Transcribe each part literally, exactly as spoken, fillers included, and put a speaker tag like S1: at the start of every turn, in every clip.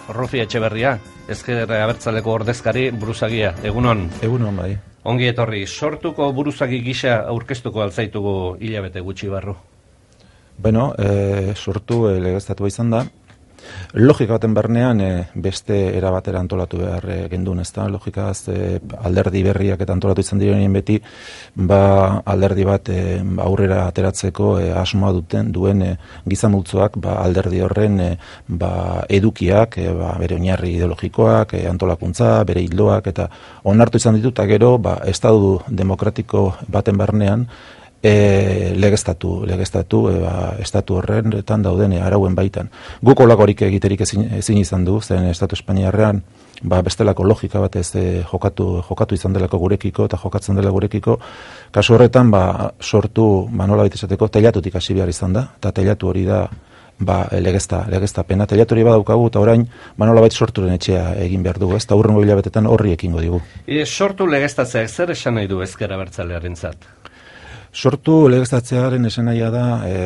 S1: Rufi Etxeberria, Ezker Abertzaleko ordezkari buruzagia, egunon.
S2: Egunon bai.
S1: Ongi etorri, sortuko buruzagi gisa aurkeztuko altzaitugu hilabete gutxi barru.
S2: Bueno, e, sortu e, legeztatua izan da. Logika baten barnean e, beste era batera antolatu behar e, gendun, ezta? Logikaz e, alderdi berriak eta antolatu izan direnien beti, ba alderdi bat e, aurrera ateratzeko e, asmoa duten duen e, gizamultzoak ba, alderdi horren e, ba, edukiak, e, ba, bere oinarri ideologikoak, e, antolakuntza, bere hildoak eta onartu izan ditut, eta gero ba, estatu demokratiko baten barnean E, legeztatu, legeztatu e, ba, estatu horretan dauden e, arauen baitan. Guk olakorik egiterik ezin, ezin izan du, zen estatu espainiarrean ba, bestelako logika bat ez e, jokatu, jokatu izan delako gurekiko eta jokatzen dela gurekiko. Kasu horretan ba, sortu, ba, nola baita esateko, teilatutik hasi behar izan da, eta teilatu hori da ba, legezta, legeztapena. Teilatu hori badaukagu eta orain ba, nola baita sorturen etxea egin behar dugu, ez, eta hurrengo hilabetetan horri ekingo digu.
S1: E, sortu legeztatzeak zer esan nahi du Ezker Abertzalearentzat?
S2: Sortu legeztatzearen esanahia da e,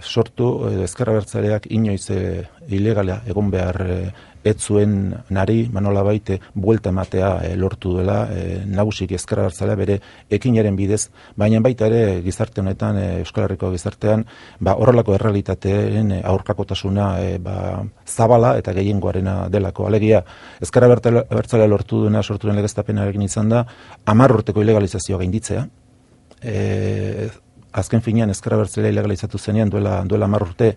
S2: sortu edo Ezker Abertzaleak inoiz e, ilegala egon behar e, ez zuen nari manola baite buelta ematea e, lortu dela e, nagusik Ezker Abertzalea bere ekinaren bidez, baina baita ere gizarte honetan, e, Euskal Herriko gizartean ba, horrelako errealitateen e, aurkakotasuna e, ba, zabala eta gehiengoarena delako. Alegia, Ezker Abertzalea lortu duena sortu den legeztapenarekin izan da hamar urteko ilegalizazioa gainditzea. E, azken finean Ezker Abertzalea ilegalizatu zenean duela duela hamar urte,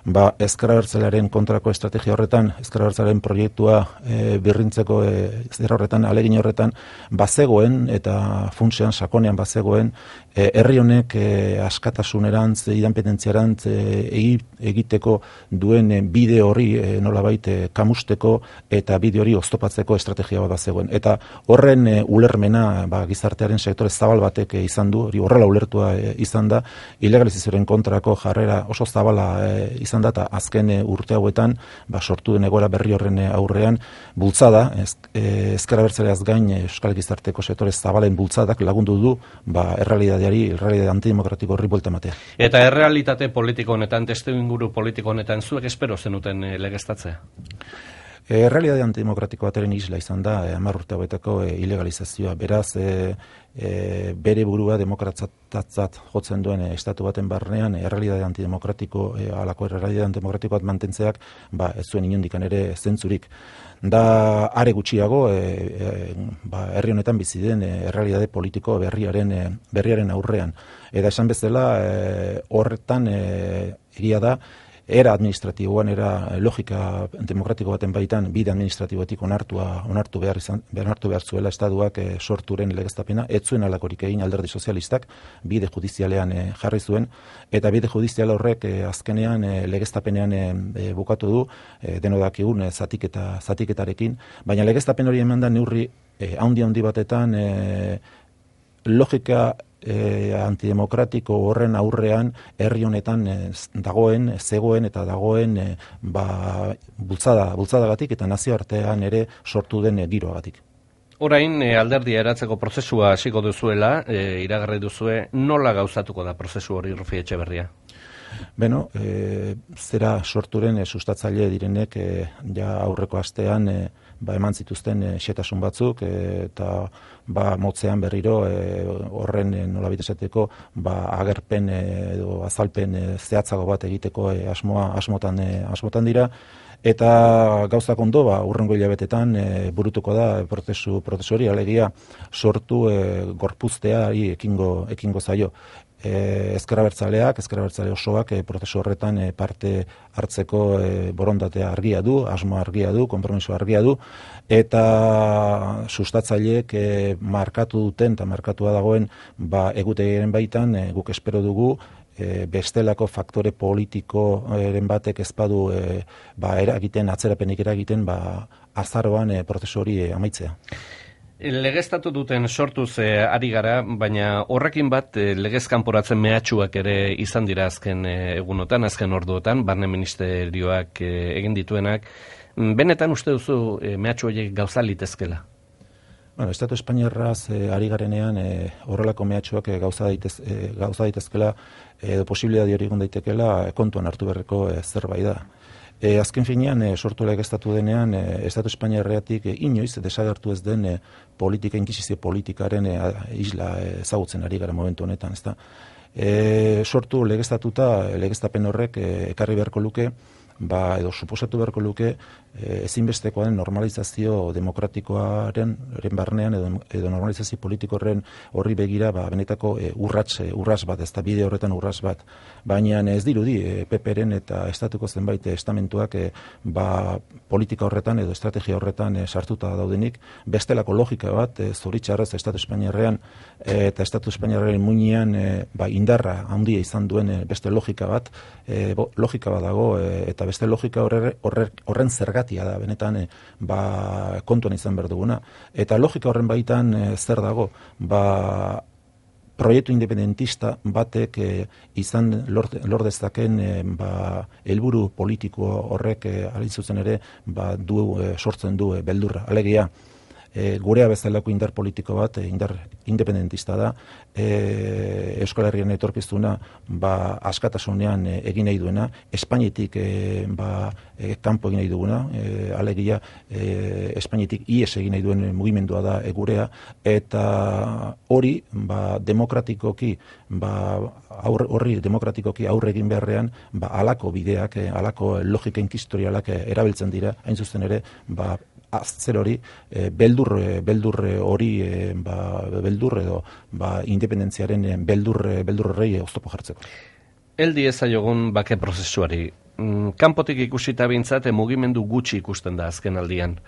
S2: ba Ezker Abertzalearen kontrako estrategia horretan, Ezker Abertzalearen proiektua e, birrintzeko e, zer horretan, alegin horretan bazegoen eta funtsean sakonean bazegoen e, herri honek e, askatasunerantz, independentzierantz e, egiteko duen e, bide hori e, nolabait e, kamusteko eta bide hori oztopatzeko estrategia bat bazegoen. Eta horren e, ulermena ba, gizartearen sektore zabal batek e, izan du, hori horrela ulertua e, izan da, ilegalizazioaren kontrako jarrera oso zabala e, izan da, eta azken e, urte hauetan ba, sortu den egoera berri horren e, aurrean bultzada, ez, e, Ezker Abertzaleaz gain e, Euskal Gizarteko sektore zabalen bultzadak lagundu du ba, errealitateari, errealitate antidemokratiko horri buelta ematea.
S1: Eta errealitate politiko honetan, testuinguru politiko honetan, zuek espero zenuten e, legeztatzea?
S2: E, Errealitate antidemokratiko bateren isla izan da, e, hamar urte hauetako e, ilegalizazioa. Beraz, e, e, bere burua demokratatzat jotzen duen e, estatu baten barnean, e, errealitate antidemokratiko, e, alako errealitate antidemokratiko bat mantentzeak, ba, ez zuen inondikan ere zentzurik. Da are gutxiago, e, e, ba, herri honetan bizi den e, errealitate politiko berriaren, e, berriaren aurrean. Eta esan bezala, e, horretan e, egia da, era administratiboan, era logika demokratiko baten baitan, bide administratiboetik onartua, onartu behar izan, onartu behar zuela estatuak e, sorturen legeztapena, ez zuen alakorik egin alderdi sozialistak, bide judizialean e, jarri zuen, eta bide judizial horrek e, azkenean e, legeztapenean e, bukatu du, e, deno dakigun e, zatiketa, zatiketarekin, baina legeztapen hori eman da neurri e, handi handi batetan e, logika E, antidemokratiko horren aurrean herri honetan e, dagoen, zegoen eta dagoen e, ba, bultzada, bultzadagatik eta nazioartean ere sortu den e, giroagatik.
S1: Orain e, alderdia eratzeko prozesua hasiko duzuela, e, iragarri duzue, nola gauzatuko da prozesu hori, Rufi Etxeberria?
S2: Beno, e, zera sorturen e, sustatzaile direnek e, ja aurreko astean e, ba, eman zituzten e, xetasun batzuk e, eta ba, motzean berriro e, horren e, nolabait esateko ba, agerpen e, edo azalpen e, zehatzago bat egiteko e, asmoa, asmotan, e, asmotan dira. Eta gauzak ondo, ba, urrengo hilabetetan e, burutuko da prozesu, prozesu hori, alegia sortu e, gorpuzteari ekingo, ekingo zaio. E, Ezker Abertzaleak, Ezker Abertzale osoak e, prozesu horretan e, parte hartzeko e, borondatea argia du, asmo argia du, konpromiso argia du, eta sustatzaileek e, markatu duten eta markatua dagoen ba, egutegiaren baitan e, guk espero dugu E, bestelako faktore politikoren batek ezpadu e, ba, eragiten, atzerapenik eragiten ba, azaroan e, prozesu hori e, amaitzea.
S1: Legeztatu duten sortuz e, ari gara, baina horrekin bat e, legez kanporatzen mehatxuak ere izan dira azken e, egunotan, azken orduotan, barne ministerioak e, egin dituenak. Benetan uste duzu e, mehatxu horiek gauza litezkela?
S2: Bueno, Estatu Espainiarraz e, ari garenean e, horrelako mehatxuak e, gauza, daitez, e, gauza daitezkela edo posibilidade hori egon daitekela e, kontuan hartu beharreko e, zerbait da. E, azken finean, e, sortu legeztatu denean, e, Estatu Espainiarreatik e, inoiz desagertu ez den e, politika, inkisizio politikaren e, isla ezagutzen ari gara momentu honetan, ezta. E, sortu legeztatuta, legeztapen horrek e, ekarri beharko luke, ba, edo suposatu beharko luke, e, ezinbestekoa den normalizazio demokratikoaren barnean edo, edo normalizazio politikoren horri begira ba, benetako e, urrats, e, urras bat, ez da bide horretan urras bat. Baina ez dirudi e, P P-ren eta estatuko zenbait estamentuak e, ba, politika horretan edo estrategia horretan e, sartuta daudenik, bestelako logika bat, e, zoritxarrez Estatu Espainiarrean e, eta Estatu Espainiarrean muinean e, ba, indarra handia izan duen e, beste logika bat, e, bo, logika bat dago e, eta beste logika horre, horre, horren zergatia da, benetan e, ba, kontuan izan behar duguna. Eta logika horren baitan e, zer dago, ba, proiektu independentista batek e, izan lor, lor dezaken e, ba, helburu politiko horrek e, alizuzen ere ba, du, e, sortzen du e, beldurra. Alegia, E, gurea bezalako indar politiko bat, e, indar independentista da, e, Euskal Herrian etorkizuna ba, askatasunean e, egin nahi duena, Espainetik e, ba, e, kanpo egin nahi duguna, e, alegia e, Espainetik ies egin nahi duen mugimendua da e, gurea, eta hori ba, demokratikoki, ba, aurre, horri demokratikoki aurre egin beharrean, ba, alako bideak, e, alako logika inkistorialak e, erabiltzen dira, hain zuzen ere, ba, zer hori, e, beldur, beldur hori, e, ba, beldur edo ba, independentziaren beldur, beldur horrei oztopo jartzeko.
S1: Eldi ezaiogun bake prozesuari. Kanpotik ikusita bintzat, mugimendu gutxi ikusten da azken aldian.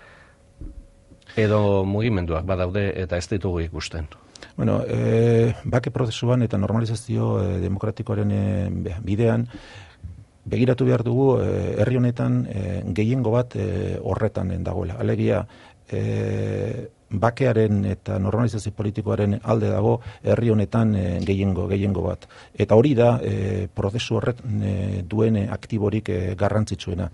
S1: Edo mugimenduak badaude eta ez ditugu ikusten.
S2: Bueno, e, bake prozesuan eta normalizazio e, demokratikoaren e, bidean, begiratu behar dugu, herri honetan e, gehiengo bat e, horretan dagoela. Alegia, e, bakearen eta normalizazio politikoaren alde dago herri honetan e, gehiengo, gehiengo bat. Eta hori da e, prozesu horret e, duen aktiborik e, garrantzitsuena.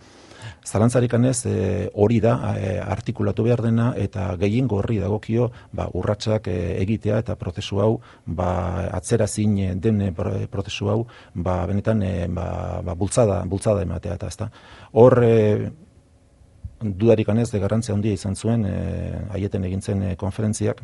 S2: Zalantzarik anez, e, hori da e, artikulatu behar dena eta gehiengo horri dagokio ba, urratsak e, egitea eta prozesu hau ba, atzera zin den e, prozesu hau ba, benetan e, ba, ba, bultzada, bultzada ematea eta ezta. Hor e, dudarik anez de garrantzia handia izan zuen e, aieten egintzen e, konferentziak.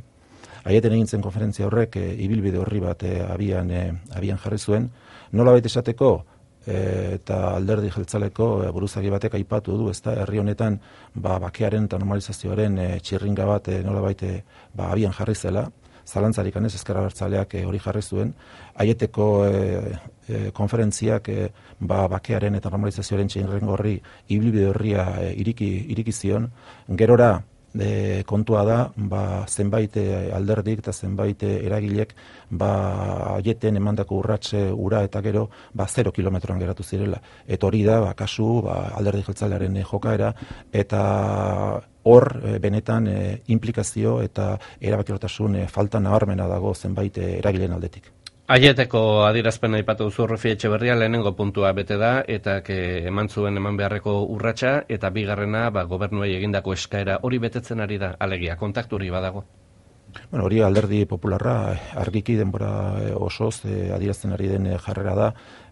S2: Aieten egintzen konferentzia horrek e, ibilbide horri bat e, abian, e, abian jarri zuen. Nola baita esateko, E, eta alderdi jeltzaleko e, buruzagi batek aipatu du, ezta herri honetan ba, bakearen eta normalizazioaren e, txirringa bat e, nolabait e, ba, abian jarri zela, zalantzarik anez ezker abertzaleak e, hori jarri zuen, aieteko e, e, konferentziak e, ba, bakearen eta normalizazioaren txirringa horri ibilbide horria e, iriki, iriki zion, gerora E, kontua da, ba, zenbait alderdik eta zenbait eragilek ba, aieten emandako urratxe ura eta gero ba, zero kilometroan geratu zirela. Eta hori da, ba, kasu ba, alderdi jeltzalearen e, jokaera eta hor e, benetan e, implikazio eta erabakiortasun e, falta nabarmena dago zenbait e, eragileen aldetik.
S1: Aieteko adierazpen aipatu duzu Rufi Etxeberria, lehenengo puntua bete da eta ke eman zuen eman beharreko urratsa eta bigarrena ba, gobernuei egindako eskaera hori betetzen ari da, alegia kontakturi badago.
S2: Bueno, hori alderdi popularra argiki denbora osoz e, adierazten ari den jarrera da,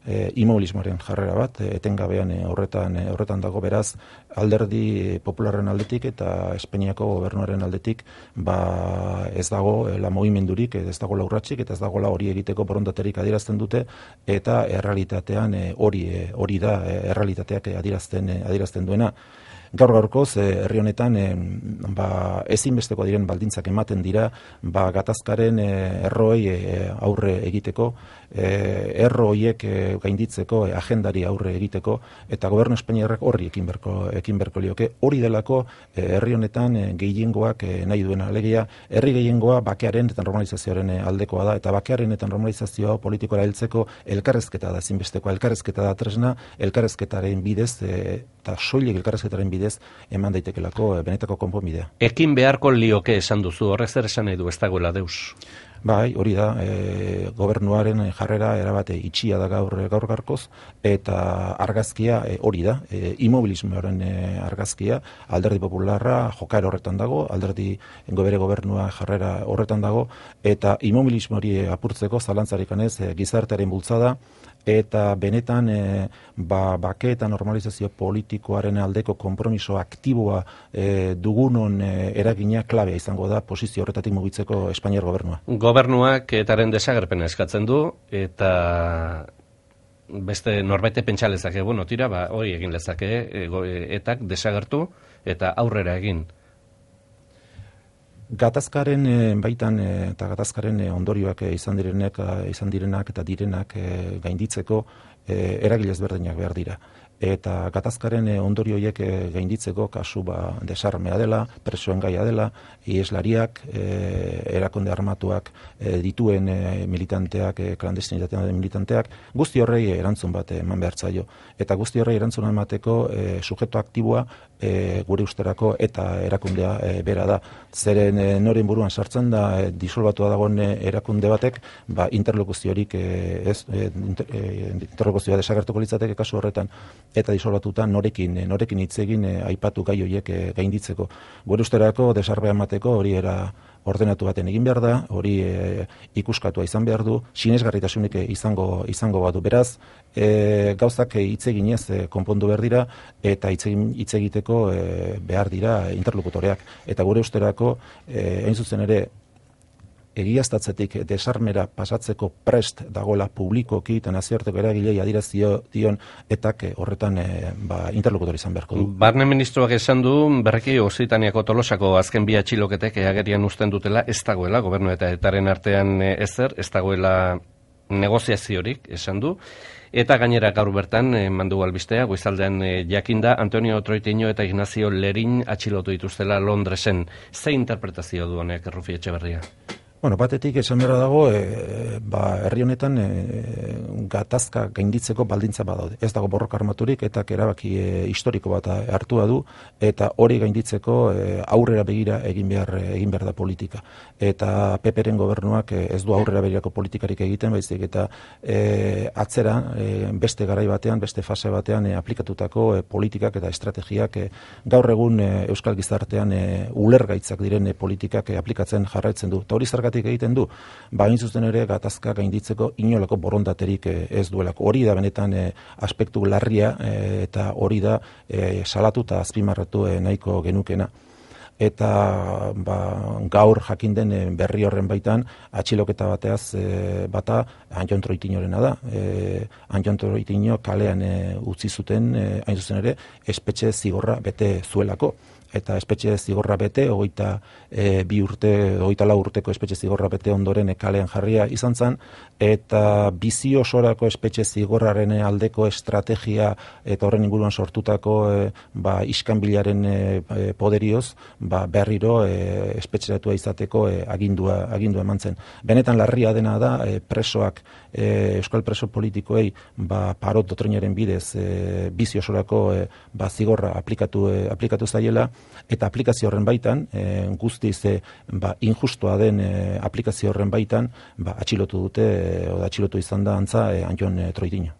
S2: e, immobilismoaren jarrera bat, e, etengabean e, horretan, e, horretan dago beraz, alderdi popularren aldetik eta Espainiako gobernuaren aldetik ba, ez dago e, la mugimendurik, ez dago la urratsik eta ez dago la hori egiteko borondaterik adierazten dute eta errealitatean e, hori, e, hori da e, errealitateak adierazten, e, adierazten duena. Gaur gaurkoz, herri honetan e, ba, ezinbesteko diren baldintzak ematen dira ba, gatazkaren e, erroei e, aurre egiteko, e, erro horiek e, gainditzeko, e, agendari aurre egiteko, eta gobernu espainiarrak horri ekin berko, ekin berko lioke. Hori delako e, herri honetan e, gehiengoak e, nahi duena. Alegia, herri gehiengoa bakearen eta normalizazioaren aldekoa da, eta bakearen eta normalizazioa politikora heltzeko elkarrezketa da ezinbesteko, elkarrezketa da tresna, elkarrezketaren bidez, e, eta soilik elkarrezketaren bidez eman daitekelako benetako konponbidea.
S1: Ekin beharko lioke esan duzu, horrek zer esan nahi du ez dagoela deus?
S2: Bai, hori da, e, gobernuaren jarrera erabate itxia da gaur gaur garkoz, eta argazkia e, hori da, e, immobilismoaren e, argazkia, alderdi popularra jokaera horretan dago, alderdi bere gobernua jarrera horretan dago, eta immobilismo hori apurtzeko zalantzarik anez e, gizartearen bultzada, eta benetan e, ba, bake eta normalizazio politikoaren aldeko konpromiso aktiboa e, dugunon e, eragina klabea izango da posizio horretatik mugitzeko Espainiar gobernua.
S1: Gobernuak etaren desagerpena eskatzen du, eta beste norbaite pentsa lezake, bueno, tira, ba, hori egin lezake, etak desagertu eta aurrera egin.
S2: Gatazkaren e, baitan e, eta gatazkaren e, ondorioak e, izan direnak, izan direnak eta direnak e, gainditzeko e, eragile ezberdinak behar dira. Eta gatazkaren ondorio horiek gainditzeko kasu ba, desarmea dela, presoen gaia dela, ieslariak, e, erakunde armatuak e, dituen e, militanteak, e, klandestinitatean den militanteak, guzti horrei erantzun bat eman behar zaio. Eta guzti horrei erantzun emateko e, sujeto aktiboa e, gure usterako eta erakundea e, bera da. Zeren e, noren buruan sartzen da e, disolbatua dagoen erakunde batek, ba, interlokuziorik e, ez, e, inter, e, interlokuzioa desagertuko litzateke kasu horretan, eta disolbatuta norekin norekin hitz egin e, aipatu gai horiek e, gainditzeko. Gure usterako desarbea emateko hori era ordenatu baten egin behar da, hori e, ikuskatua izan behar du, sinesgarritasunik izango izango badu. Beraz, e, gauzak hitz eginez e, konpondu behar dira eta hitz hitz egiteko e, behar dira interlokutoreak. Eta gure usterako e, hain zuzen ere egiaztatzetik desarmera pasatzeko prest dagoela publikoki eta nazioarteko eragilei adirazio dion etak horretan e, ba, interlokutor izan beharko du.
S1: Barne ministroak esan du, berriki Okzitaniako Tolosako azken bi atxiloketek agerian uzten dutela ez dagoela, gobernu eta etaren artean ezer, ez dagoela negoziaziorik, esan du. Eta gainera gaur bertan, e, mandu albistea, goizaldean e, jakinda, Antonio Troitiño eta Ignacio Lerin atxilotu dituztela Londresen. Ze interpretazio du honek, Rufi Etxeberria?
S2: Bueno, batetik esan behar dago, e, ba, herri honetan e, gatazka gainditzeko baldintza badaude. Ez dago borroka armaturik eta erabaki e, historiko bat hartua du eta hori gainditzeko e, aurrera begira egin behar egin behar da politika. Eta Peperen gobernuak e, ez du aurrera begirako politikarik egiten, baizik eta e, atzera e, beste garai batean, beste fase batean e, aplikatutako e, politikak eta estrategiak e, gaur egun e, euskal gizartean e, ulergaitzak diren e, politikak e, aplikatzen jarraitzen du. Ta hori egiten du, ba, hain zuzen ere gatazka gainditzeko inolako borondaterik ez duelako. Hori da benetan e, aspektu larria e, eta hori da e, salatu eta azpimarratu e, nahiko genukena. Eta ba, gaur jakin den berri horren baitan atxiloketa bateaz e, bata Anton Troitiñorena da. E, Anton Troitiño kalean e, utzi zuten e, hain zuzen ere espetxe zigorra bete zuelako. Eta espetxe zigorra bete, hogeita e, bi urte, hogeita lau urteko espetxe zigorra bete ondoren kalean jarria izan zen, eta bizi osorako espetxe zigorraren aldeko estrategia eta horren inguruan sortutako e, ba, iskanbilaren e, poderioz, ba, berriro e, espetxeratua izateko e, agindua, agindua eman zen. Benetan larria dena da, e, presoak, e, euskal preso politikoei ba, parot doktrinaren bidez e, bizi osorako e, ba, zigorra aplikatu, e, aplikatu zaiela, eta aplikazio horren baitan, e, guztiz e, ba, injustua den e, aplikazio horren baitan, ba, atxilotu dute, e, o atxilotu izan da antza e, Anton e, Troitiño.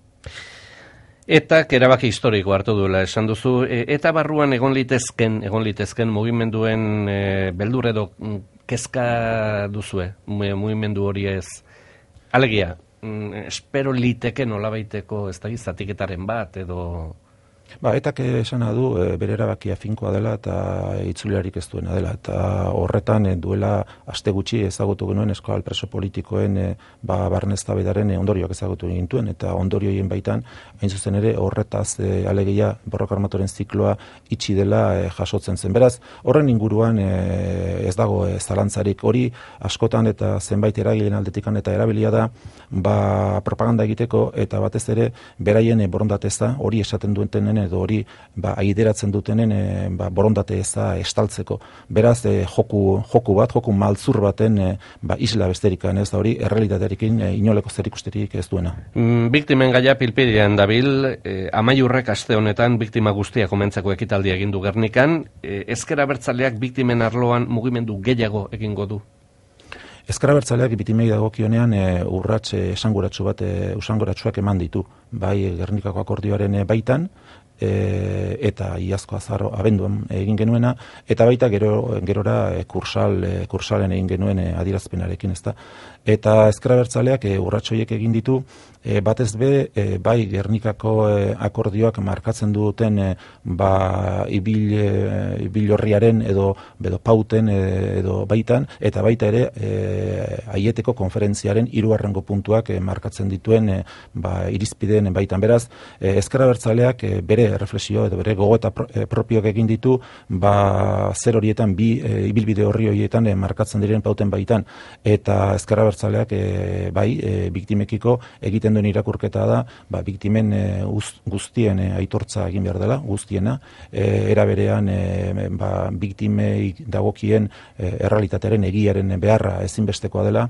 S1: Eta erabaki historiko hartu duela esan duzu, e, eta barruan egon litezken, egon litezken mugimenduen e, beldur edo kezka duzue, mugimendu hori ez. Alegia, mm, espero liteke nolabaiteko ez da zatiketaren bat edo...
S2: Ba, etak esana du e, bere erabakia finkoa dela eta itzuliarik ez duena dela. Eta horretan e, duela aste gutxi ezagutu genuen euskal preso politikoen e, ba, barne eztabaidaren e, ondorioak ezagutu gintuen. Eta ondorioien baitan, hain zuzen ere, horretaz e, alegia borroka armatoren zikloa itxi dela e, jasotzen zen. Beraz, horren inguruan e, ez dago e, zalantzarik hori askotan eta zenbait eragileen aldetikan eta erabilia da ba, propaganda egiteko eta batez ere beraien e, borondateza hori esaten duentenen edo hori ba, aideratzen dutenen e, ba, borondate eza estaltzeko. Beraz, e, joku, joku bat, joku maltzur baten e, ba, isla besterikan ez da hori, errealitatearekin e, inoleko zerikusterik ez duena.
S1: Mm, biktimen gaia pilpidean dabil, e, amaiurrek aste honetan biktima guztia komentzako ekitaldia egin du Gernikan, e, ezker abertzaleak biktimen arloan mugimendu gehiago egingo du.
S2: Ezker abertzaleak biktimei dagokionean e, urrats esanguratsu bat, e, usanguratsuak eman ditu, bai Gernikako akordioaren e, baitan, e, eta iazko azaro abenduan egin genuena, eta baita gero, gerora e, kursal, e, kursalen egin genuen e, adierazpenarekin, ezta. Eta ezker abertzaleak e, urratsoiek egin ditu, e, batez be, e, bai Gernikako e, akordioak markatzen duten e, ba, ibil, e, ibilorriaren edo, edo pauten e, edo baitan, eta baita ere e, aieteko konferentziaren hirugarrengo puntuak e, markatzen dituen e, ba, irizpideen baitan. Beraz, e, ezker abertzaleak e, bere reflexio edo bere gogoeta pro, e, propioak egin ditu, ba, zer horietan, bi e, ibilbide horri horietan e, markatzen diren pauten baitan, eta ezker abertzaleak e, bai, e, biktimekiko egiten duen irakurketa da, ba, biktimen e, guztien e, aitortza egin behar dela, guztiena, e, era berean e, ba, biktimei dagokien e, errealitatearen egiaren beharra ezinbestekoa dela,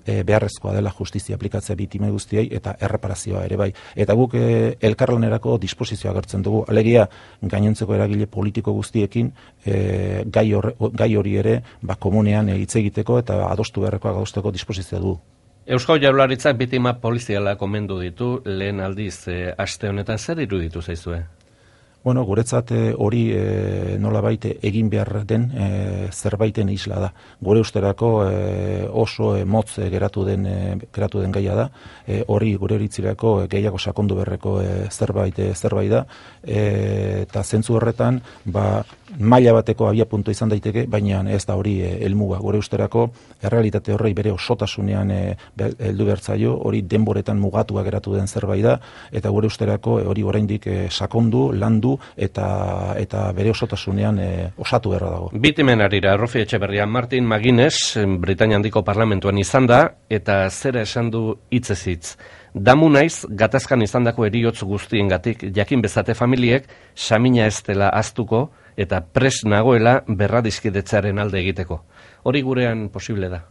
S2: e, beharrezkoa dela justizia aplikatzea biktimei guztiei eta erreparazioa ere bai. Eta guk e, elkarlanerako disposizioa agertzen dugu, alegia gainontzeko eragile politiko guztiekin e, gai, hor, gai hori ere ba, komunean hitz egiteko eta adostu beharrekoak adosteko disposizioa dugu.
S1: Eusko Jaurlaritzak biktima poliziala komendu ditu lehen aldiz e, aste honetan, zer iruditu zaizue?
S2: Bueno, guretzat hori e, nolabait egin behar den e, zerbaiten isla da. Gure usterako e, oso e, motz e, geratu den e, geratu den gaia da. E, hori gure iritzirako e, gehiago sakondu beharreko e, zerbait e, zerbait da. E, eta zentzu horretan, ba, maila bateko abiapuntu izan daiteke, baina ez da hori e, helmuga. Gure usterako errealitate horrei bere osotasunean e, heldu bertzaio, hori denboretan mugatua geratu den zerbait da, eta gure usterako e, hori oraindik e, sakondu, landu eta eta bere osotasunean e, osatu beharra dago.
S1: Biktimen harira, Rofi Etxeberria, Martin Magines, Britainia Handiko parlamentuan izan da, eta zera esan du hitzez hitz. Damu naiz, gatazkan izandako heriotz guztiengatik, jakin bezate familiek, samina ez dela aztuko, eta pres nagoela berradizkidetzaren alde egiteko. Hori gurean posible da?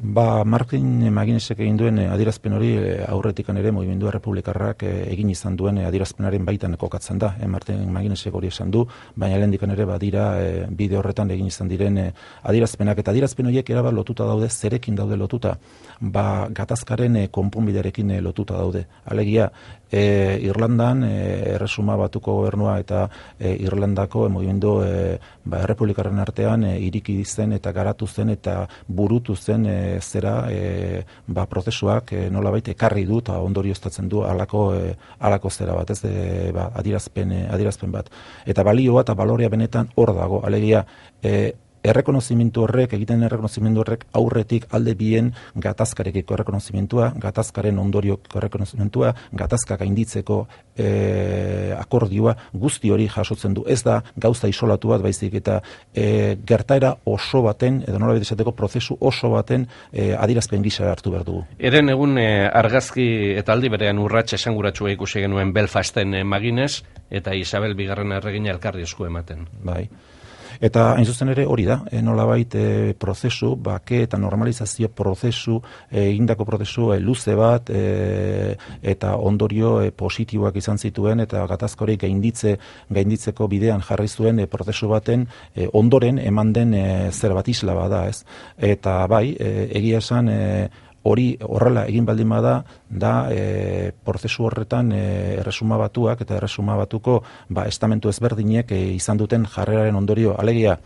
S2: Ba, Martin Maginesek egin duen adierazpen hori aurretikan ere Mugimendua Errepublikarrak egin izan duen adierazpenaren baitan kokatzen da. E, Martin Maginesek hori esan du, baina lehendikan ere badira e, bide horretan egin izan diren e, adierazpenak. Eta adierazpen horiek erabat lotuta daude, zerekin daude lotuta? Ba, gatazkaren e, konponbidearekin e, lotuta daude. Alegia, e, Irlandan e, Erresuma Batuko gobernua eta e, Irlandako e, Mugimendu e, ba, Errepublikarren artean e, iriki zen eta garatu zen eta burutu zen e, zera e, ba, prozesuak e, nolabait ekarri du eta ondorioztatzen du alako, e, alako zera bat, ez e, ba, adierazpen, e, adierazpen bat. Eta balioa eta balorea benetan hor dago, alegia e, errekonozimentu horrek, egiten errekonozimentu horrek aurretik alde bien gatazkarekiko errekonozimentua, gatazkaren ondorioko errekonozimentua, gatazka gainditzeko e, akordioa, guzti hori jasotzen du. Ez da gauza isolatu bat, baizik eta e, gertaera oso baten, edo nola esateko prozesu oso baten e, adierazpen gisa hartu behar dugu.
S1: Eren egun e, argazki eta aldi berean urrats esanguratsua ikusi genuen Belfasten e, Magines, eta Isabel Bigarren erregina elkarri esku ematen.
S2: Bai. Eta hain zuzen ere hori da, e, nolabait e, prozesu, bake eta normalizazio prozesu, egindako e, prozesu e, luze bat, e, eta ondorio e, positiboak izan zituen, eta gatazkori gainditze, gainditzeko bidean jarri zuen e, prozesu baten e, ondoren eman den e, zer bat isla bada, ez? Eta bai, e, egia esan, e, hori horrela egin baldin bada, da e, prozesu horretan e, Erresuma Batuak eta Erresuma Batuko ba, estamentu ezberdinek e, izan duten jarreraren ondorio. Alegia,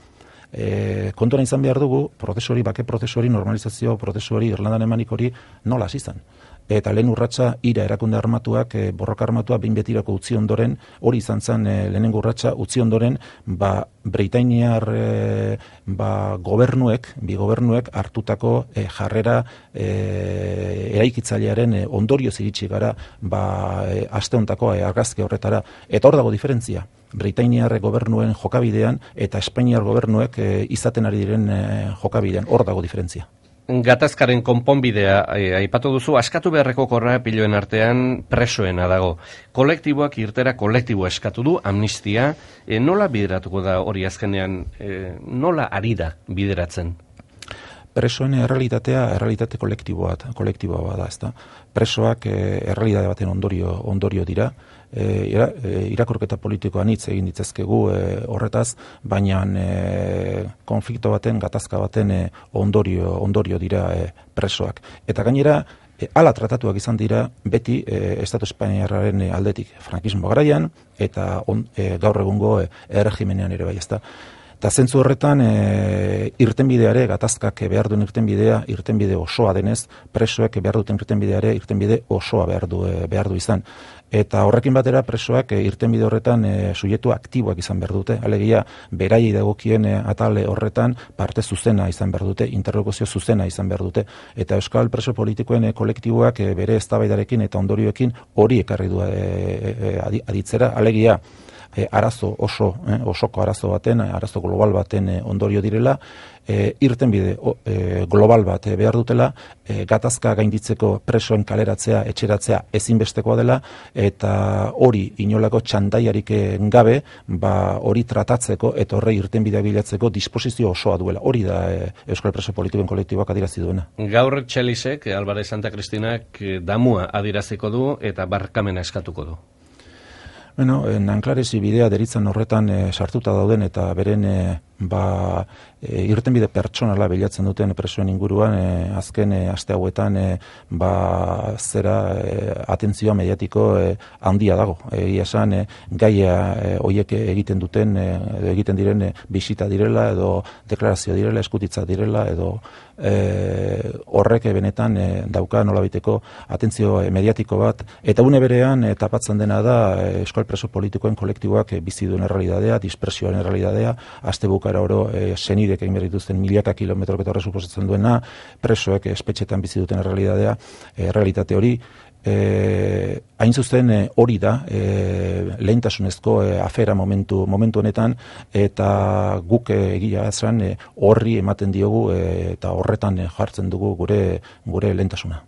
S2: e, kontuan izan behar dugu, prozesu hori, bake prozesu hori, normalizazio prozesu hori, Irlandan emanik hori, nola hasi izan. Eta lehen urratsa ira erakunde armatuak, e, borroka armatua behin betirako utzi ondoren, hori izan zen e, lehenengo urratsa utzi ondoren, ba, Britainiar e, ba, gobernuek, bi gobernuek hartutako e, jarrera e, eraikitzailearen e, ondorio ziritsi gara ba, e, aste hontako e, argazki horretara. Eta hor dago diferentzia. Britainiar gobernuen jokabidean eta Espainiar gobernuek e, izaten ari diren e, jokabidean. Hor dago diferentzia.
S1: Gatazkaren konponbidea aipatu duzu, askatu beharreko korrapiloen artean presoena dago. Kolektiboak irtera kolektiboa eskatu du, amnistia, e, nola bideratuko da hori azkenean, e, nola ari da bideratzen?
S2: Presoen errealitatea, errealitate kolektiboa, kolektiboa da, ezta. Presoak e, errealitate baten ondorio, ondorio dira, e, ira, e, irakurketa politikoan hitz egin ditzazkegu e, horretaz, baina e, konflikto baten, gatazka baten e, ondorio, ondorio dira e, presoak. Eta gainera, E, ala tratatuak izan dira beti e, Estatu Espainiarraren aldetik frankismo garaian eta on, e, gaur egungo e, erregimenean ere bai, ezta. Eta zentzu horretan e, irtenbideare, gatazkak behar duen irtenbidea, irtenbide osoa denez, presoek behar duten irtenbideare, irtenbide osoa behar du, e, behar du izan. Eta horrekin batera presoak e, irtenbide horretan e, subjektu aktiboak izan behar dute. Alegia, beraiei dagokien e, atale horretan parte zuzena izan behar dute, interlokuzio zuzena izan behar dute. Eta euskal preso politikoen e, kolektiboak e, bere eztabaidarekin eta ondorioekin hori ekarri du e, e, aditzera. Alegia, E, arazo oso, eh, osoko arazo baten, arazo global baten e, ondorio direla, e, irtenbide e, global bat e, behar dutela, e, gatazka gainditzeko presoen kaleratzea, etxeratzea ezinbestekoa dela, eta hori inolako txandaiarik gabe, ba, hori tratatzeko eta horre irtenbidea bilatzeko disposizio osoa duela. Hori da e, Euskal Preso Politikoen kolektiboak adierazi duena.
S1: Gaur Txelisek, Alvarez Santa Kristinak damua adieraziko du eta barkamena eskatuko du.
S2: Bueno, Nanklaresi bidea deritzen horretan e, sartuta dauden eta beren e, ba, e, irtenbide pertsonala bilatzen duten presoen inguruan e, azken e, aste hauetan e, ba, zera e, atentzioa mediatiko e, handia dago. Egia esan e, gaia e, hoiek egiten duten e, egiten diren e, bisita direla edo deklarazio direla, eskutitza direla edo E, horrek benetan e, dauka nolabiteko atentzio e, mediatiko bat, eta une berean e, tapatzen dena da e, Euskal Preso Politikoen kolektiboak e, bizi duen errealitatea, dispersioaren errealitatea, aste bukara oro e, senidek egin behar dituzten milaka kilometrok eta horre suposatzen duena, presoek espetxetan bizi duten errealitatea, e, errealitate hori. E, hain zuzen e, hori da e, lehentasunezko e, afera momentu momentu honetan, eta guk e, egia esan e, horri ematen diogu e, eta horretan e, jartzen dugu gure gure lehentasuna.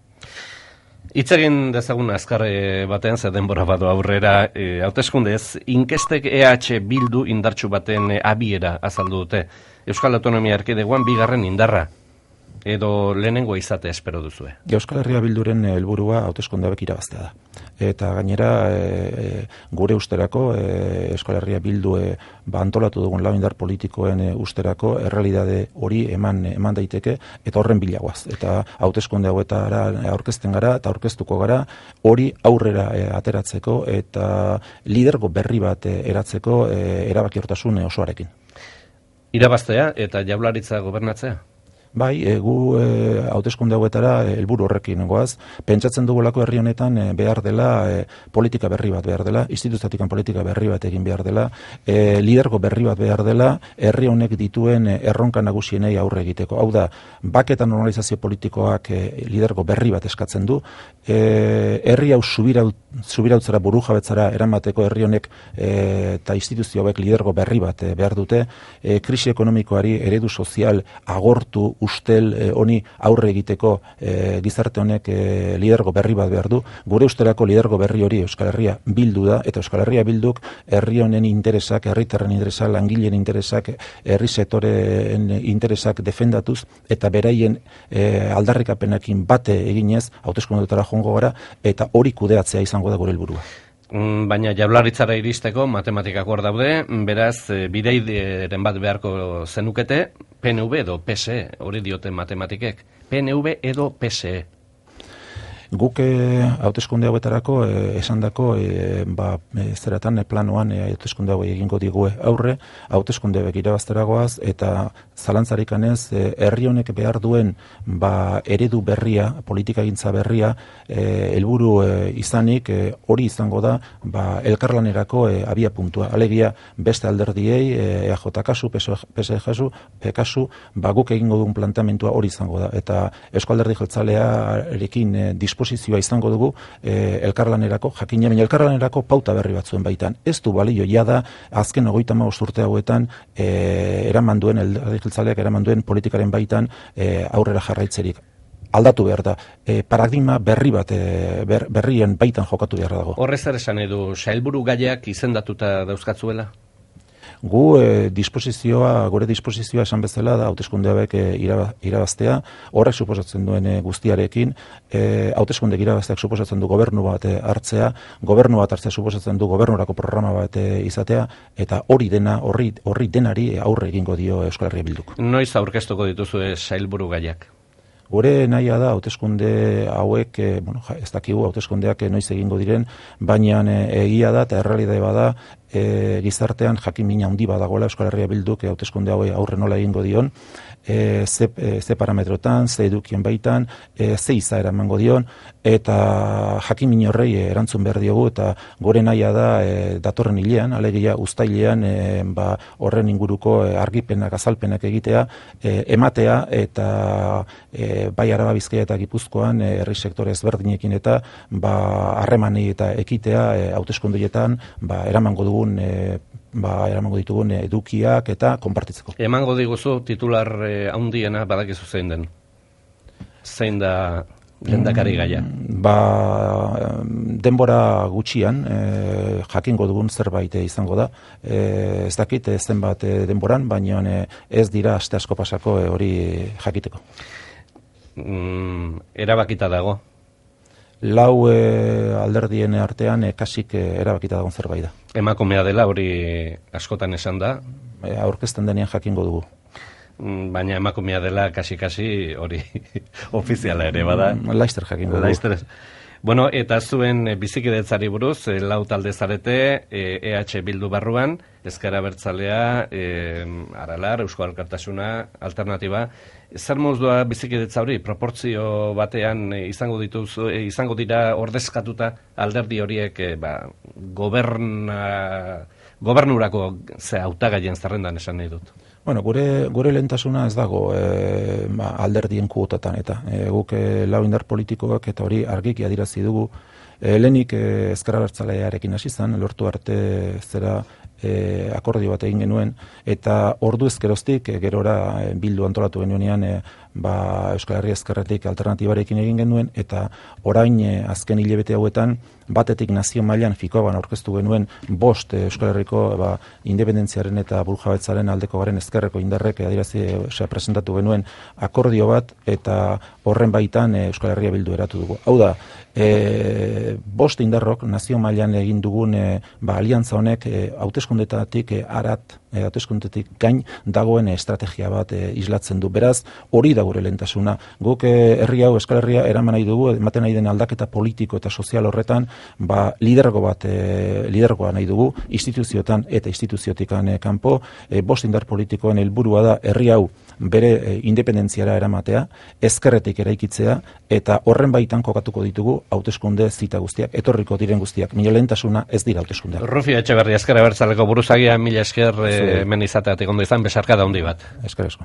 S1: Hitz egin dezagun azkar batean, ze denbora badu aurrera, e, hauteskundez, inkestek E H Bildu indartsu baten e, abiera azaldu dute. Euskal Autonomia Erkidegoan bigarren indarra, edo lehenengo izate espero duzue?
S2: Euskal Herria Bilduren helburua hauteskunde hauek irabaztea da. Eta gainera e, gure usterako e, Euskal Herria Bildu e, ba, antolatu dugun lau indar politikoen e, usterako errealitate hori eman eman daiteke eta horren bilagoaz. Eta hauteskunde hauetara aurkezten gara eta aurkeztuko gara hori aurrera e, ateratzeko eta lidergo berri bat e, eratzeko e, erabakiortasun osoarekin.
S1: Irabaztea eta Jaurlaritza gobernatzea?
S2: Bai, e, gu e, hauteskunde hauetara helburu horrekin goaz. Pentsatzen dugulako herri honetan e, behar dela e, politika berri bat behar dela, instituziotikan politika berri bat egin behar dela, e, lidergo berri bat behar dela, herri honek dituen e, erronka nagusienei aurre egiteko. Hau da, bake eta normalizazio politikoak e, lidergo berri bat eskatzen du, e, herri hau subirautzara buru jabetzara eramateko herri honek e, eta instituzio hauek lidergo berri bat e, behar dute, e, krisi ekonomikoari eredu sozial agortu ustel eh, honi aurre egiteko eh, gizarte honek eh, lidergo berri bat behar du. Gure usterako lidergo berri hori Euskal Herria Bildu da, eta Euskal Herria Bilduk herri honen interesak, herritarren interesak, langileen interesak, herri sektoreen interesak defendatuz, eta beraien eh, aldarrikapenekin bate eginez hauteskundetara joango gara, eta hori kudeatzea izango da gure helburua.
S1: Baina Jaurlaritzara iristeko matematikak hor daude, beraz bideiren bat beharko zenukete, P N V edo P S E, hori dioten matematikek, P N V edo P S E.
S2: Guk hauteskunde hauetarako eh, esandako eh, ba, eh, zeratan eh, planoan eh, hauteskunde hau egingo digu aurre, hauteskunde hauek irabazteragoaz, eta zalantzarikanez eh, herri honek behar duen ba, eredu berria, politikagintza berria, eh, helburu eh, izanik eh, hori izango da ba, elkarlanerako eh, abia puntua. Alegia beste alderdiei, eh, E A J kasu, P S E kasu, P kasu, ba, guk egingo duen planteamentua hori izango da. Eta Eusko Alderdi Jeltzalearekin eh, disposizioa izango dugu e, elkarlanerako, jakina, baina elkarlanerako pauta berri batzuen baitan. Ez du balio jada azken hogeita hamabost urte hauetan e, eraman duen, Alderdi Jeltzaleak eraman duen politikaren baitan e, aurrera jarraitzerik. Aldatu behar da. E, paradigma berri bat, e, ber, berrien baitan jokatu behar dago.
S1: Horrez zer esan edu, sailburu gaiak izendatuta dauzkatzuela?
S2: Gu e, disposizioa, gure disposizioa esan bezala da hauteskunde hauek e, irabaztea, horrek suposatzen duen e, guztiarekin, e, hauteskunde irabazteak suposatzen du gobernu bat e, hartzea, gobernu bat hartzea suposatzen du gobernurako programa bat e, izatea, eta hori dena, horri, horri denari aurre egingo dio Euskal Herria Bilduk.
S1: Noiz aurkeztuko dituzue sailburu gaiak?
S2: Gure nahia da hauteskunde hauek, e, bueno, ez dakigu hauteskundeak noiz egingo diren, baina e, egia da eta errealitate bada e, gizartean jakin-mina handi badagoela Euskal Herria Bilduk e, hauteskunde hauei aurre nola egingo dion, e, ze, e, ze parametrotan, ze edukien baitan, e, ze izaera emango dion, eta jakin-min horrei e, erantzun behar diogu, eta gore nahia da e, datorren hilean, alegia uztailean e, ba, horren inguruko e, argipenak, azalpenak egitea, e, ematea, eta e, bai Araba, Bizkaia eta Gipuzkoan e, herri sektore ezberdinekin eta ba, harremani eta ekitea e, hauteskundeetan ba, eramango dugun e, ba, eramango ditugun edukiak eta konpartitzeko.
S1: Emango diguzu titular eh, handiena badakizu zein den? Zein da lehendakari gaia?
S2: Mm, ba, denbora gutxian e, jakingo dugun zerbait izango da. E, ez dakit zenbat e, denboran, baina e, ez dira aste asko pasako e, hori jakiteko.
S1: Mm, erabakita dago?
S2: Lau e, alderdien artean e, kasik e, erabakita dagoen zerbait da.
S1: Emakumea dela hori askotan esan da?
S2: E, aurkezten denean jakingo dugu.
S1: Mm, baina emakumea dela kasi-kasi hori ofiziala ere bada.
S2: Mm, Laister jakingo dugu.
S1: Laister. Bueno, eta zuen bizikidetzari buruz, e, lau talde zarete, e, E H Bildu barruan, Ezker Abertzalea, e, Aralar, Eusko Alkartasuna, Alternatiba. Zer modua bizikidetza hori, proportzio batean e, izango dituzu, e, izango dira ordezkatuta alderdi horiek e, ba, goberna, gobernurako ze hautagaien zerrendan esan nahi dut?
S2: Bueno, gure, gure lehentasuna ez dago e, ba, alderdien kuotatan eta e, guk e, lau indar politikoak eta hori argiki adirazi dugu. E, lehenik e, Ezker Abertzalearekin hasi zen, lortu arte zera e, akordio bat egin genuen, eta ordu ezkeroztik e, gerora e, Bildu antolatu genuenean e, ba, Euskal Herria Ezkerretik alternatibarekin egin genuen, eta orain e, azken hilabete hauetan batetik nazio mailan fikoaban aurkeztu genuen bost e, Euskal Herriko ba, independentziaren eta burjabetzaren aldeko garen ezkerreko indarrek adirazi e, presentatu genuen akordio bat, eta horren baitan e, Euskal Herria Bildu eratu dugu. Hau da, e, bost indarrok nazio mailan egin dugun e, ba, aliantza honek e, hauteskundetatik e, arat, e, hauteskundetik gain dagoen estrategia bat e, islatzen du. Beraz, hori da gure lehentasuna. Guk e, herri hau, Euskal Herria eraman nahi dugu, ematen nahi den aldaketa politiko eta sozial horretan, ba, lidergo bat, e, lidergoa nahi dugu, instituzioetan eta instituziotikan e, kanpo, e, bost indar politikoen helburua da herri hau bere e, independentziara eramatea, ezkerretik eraikitzea, eta horren baitan kokatuko ditugu hauteskunde zita guztiak, etorriko diren guztiak. Mila lehentasuna ez dira hauteskundeak.
S1: Rufi Etxeberri, Ezker Abertzaleko buruzagia, mila esker e, hemen izateatik ondo izan, besarka da handi bat.
S2: Esker asko.